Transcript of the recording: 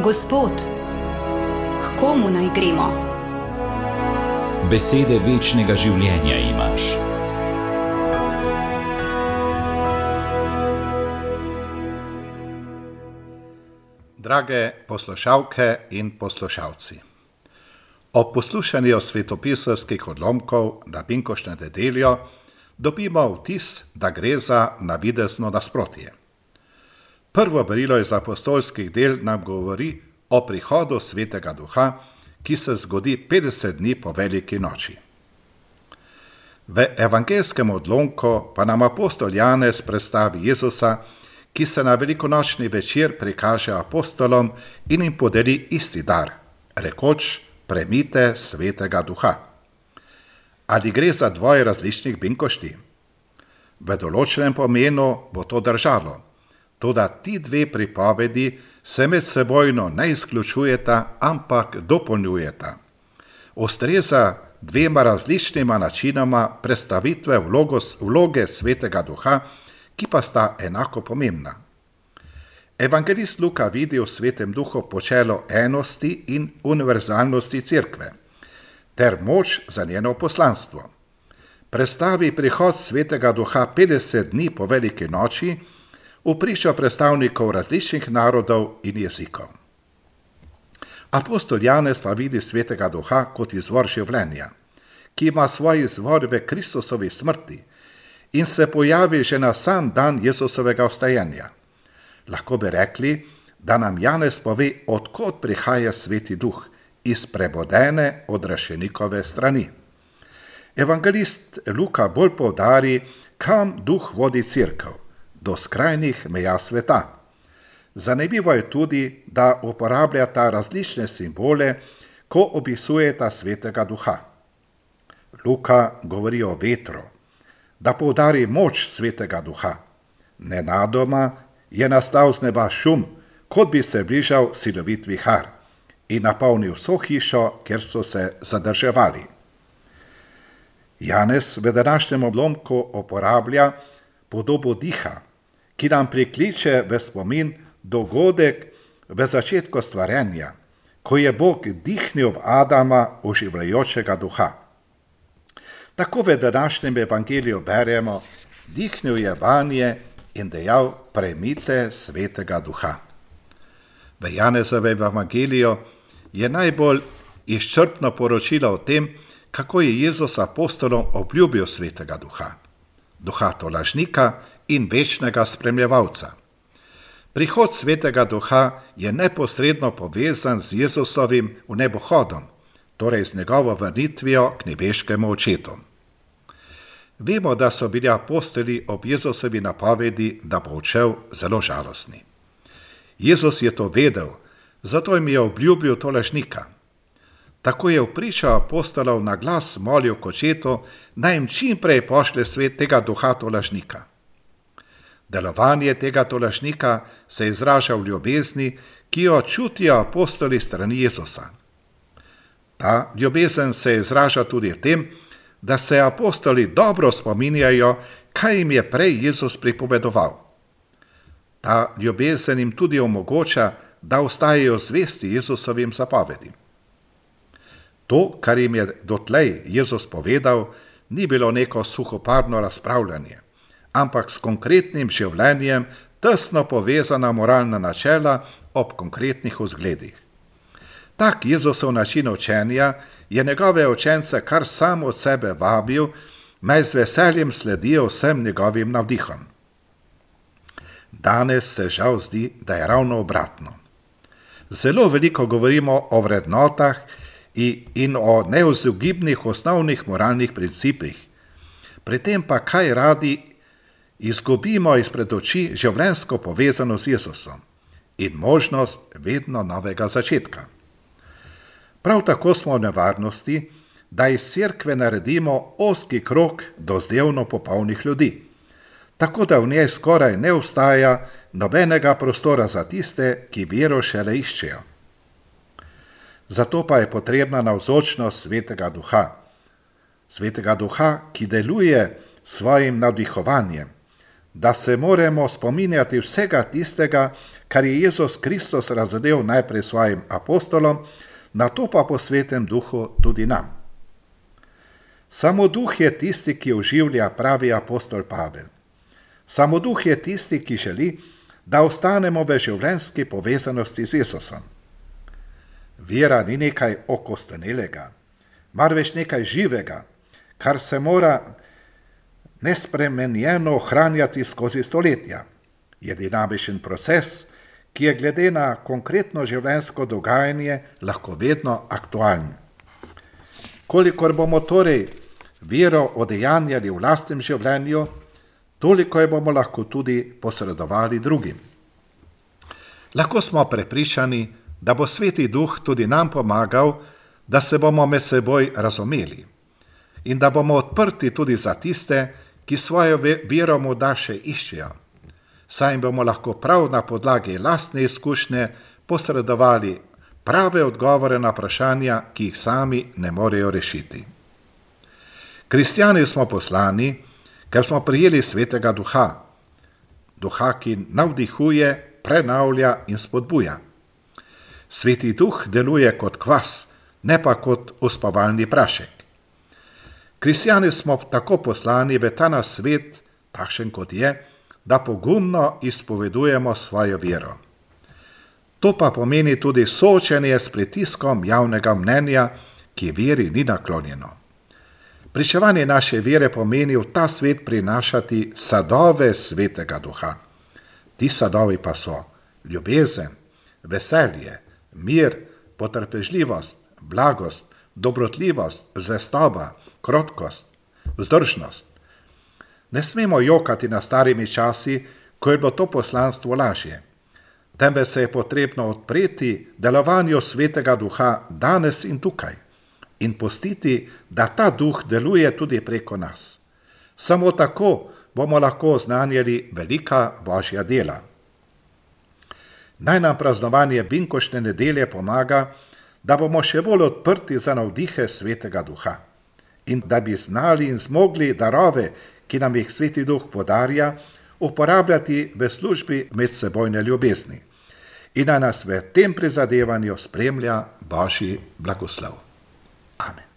Gospod, k komu naj gremo? Besede večnega življenja imaš. Drage poslušalke in poslušalci, ob poslušanju svetopisarskih odlomkov na binkoštno nedeljo dobimo vtis, da gre za navidezno nasprotje. Prvo berilo iz apostolskih del nam govori o prihodu Svetega Duha, ki se zgodi 50 dni po veliki noči. V evangelskem odlomku pa nam apostol Janez predstavi Jezusa, ki se na velikonočni večer prikaže apostolom in jim podeli isti dar, rekoč: prejmite Svetega Duha. Ali gre za dvoje različnih binkošti? V določenem pomenu bo to držalo, toda ti dve pripovedi se med sebojno ne izključujeta, ampak dopolnjujeta. Ustreza dvema različnima načinoma predstavitve vloge Svetega Duha, ki pa sta enako pomembna. Evangelist Luka vidi v Svetem Duhu počelo enosti in univerzalnosti Cerkve, ter moč za njeno poslanstvo. Predstavi prihod Svetega Duha 50 dni po veliki noči v pričo predstavnikov različnih narodov in jezikov. Apostol Janez pa vidi Svetega Duha kot izvor življenja, ki ima svoj izvor v Kristusovi smrti in se pojavi že na sam dan Jezusovega vstajenja. Lahko bi rekli, da nam Janez pove, od kod prihaja Sveti Duh, iz prebodene odrešenikove strani. Evangelist Luka bolj poudari, kam Duh vodi Cerkev, do skrajnih meja sveta. Zanimivo je tudi, da uporabljata različne simbole, ko opisujeta Svetega Duha. Luka govori o vetru, da poudari moč Svetega Duha. Nenadoma je nastal z neba šum, kot bi se bližal silovit vihar, in napolnil vso hišo, kjer so se zadrževali. Janez v današnjem odlomku uporablja podobo diha, ki nam prikliče v spomin dogodek v začetku stvarjenja, ko je Bog dihnil v Adama oživljajočega duha. Tako v današnjem evangeliju beremo: dihnil je vanje in dejal: prejmite Svetega Duha. V Janezovem evangeliju je najbolj izčrpno poročilo o tem, kako je Jezus apostolom obljubil Svetega Duha, duha tolažnika in večnega spremljevalca. Prihod Svetega Duha je neposredno povezan z Jezusovim vnebohodom, torej z njegovo vrnitvijo k nebeškemu očetu. Vemo, da so bili apostoli ob Jezusovi napovedi, da bo odšel, zelo žalostni. Jezus je to vedel, zato jim je obljubil tolažnika. Tako je v pričo apostolov na glas molil k očetu, naj jim čim prej pošlje Svetega Duha tolažnika. Delovanje tega tolažnika se izraža v ljubezni, ki jo čutijo apostoli strani Jezusa. Ta ljubezen se izraža tudi v tem, da se apostoli dobro spominjajo, kaj jim je prej Jezus pripovedoval. Ta ljubezen jim tudi omogoča, da ostajajo zvesti Jezusovim zapovedim. To, kar jim je dotlej Jezus povedal, ni bilo neko suhoparno razpravljanje, ampak s konkretnim življenjem tesno povezana moralna načela ob konkretnih vzgledih. Tak Jezusov način učenja je njegove učence kar sam od sebe vabil, naj z veseljem sledijo vsem njegovim navdihom. Danes se žal zdi, da je ravno obratno. Zelo veliko govorimo o vrednotah in o neizogibnih osnovnih moralnih principih, pri tem pa kaj radi izgubimo izpred oči življenjsko povezano z Jezusom in možnost vedno novega začetka. Prav tako smo v nevarnosti, da iz Cerkve naredimo ozki krog dozdevno popolnih ljudi, tako da v njej skoraj ne obstaja nobenega prostora za tiste, ki vero šele iščejo. Zato pa je potrebna navzočnost Svetega Duha, ki deluje s svojim navdihovanjem, da se moramo spominjati vsega tistega, kar je Jezus Kristus razodel najprej svojim apostolom, nato pa po Svetem Duhu tudi nam. Samo Duh je tisti, ki oživlja, pravi apostol Pavel. Samo Duh je tisti, ki želi, da ostanemo v življenjski povezanosti z Jezusom. Vera ni nekaj okostenelega, marveč nekaj živega, kar se mora nespremenjeno ohranjati skozi stoletja. Je dinamičen proces, ki je glede na konkretno življenjsko dogajanje lahko vedno aktualen. Kolikor bomo torej vero odejanjali v lastnem življenju, toliko je bomo lahko tudi posredovali drugim. Lahko smo prepričani, da bo Sveti Duh tudi nam pomagal, da se bomo med seboj razumeli in da bomo odprti tudi za tiste, ki svojo vero morda še iščejo, saj jim bomo lahko prav na podlagi lastne izkušnje posredovali prave odgovore na vprašanja, ki jih sami ne morejo rešiti. Kristjani smo poslani, ker smo prijeli Svetega Duha, Duha, ki navdihuje, prenavlja in spodbuja. Sveti Duh deluje kot kvas, ne pa kot uspavalni prašek. Kristjani smo tako poslani v ta naš svet, takšen kot je, da pogumno izpovedujemo svojo vero. To pa pomeni tudi soočenje s pritiskom javnega mnenja, ki veri ni naklonjeno. Pričevanje naše vere pomeni v ta svet prinašati sadove Svetega Duha. Ti sadovi pa so ljubezen, veselje, mir, potrpežljivost, blagost, dobrotljivost, zvestoba, krotkost, vzdržnost. Ne smemo jokati na starimi časi, ko je bilo to poslanstvo lažje. Temveč se je potrebno odpreti delovanju Svetega Duha danes in tukaj in pustiti, da ta Duh deluje tudi preko nas. Samo tako bomo lahko oznanjali velika Božja dela. Naj nam praznovanje binkoštne nedelje pomaga, da bomo še bolj odprti za navdihe Svetega Duha in da bi znali in zmogli darove, ki nam jih Sveti Duh podarja, uporabljati v službi medsebojne ljubezni. In naj nas v tem prizadevanju spremlja Božji blagoslov. Amen.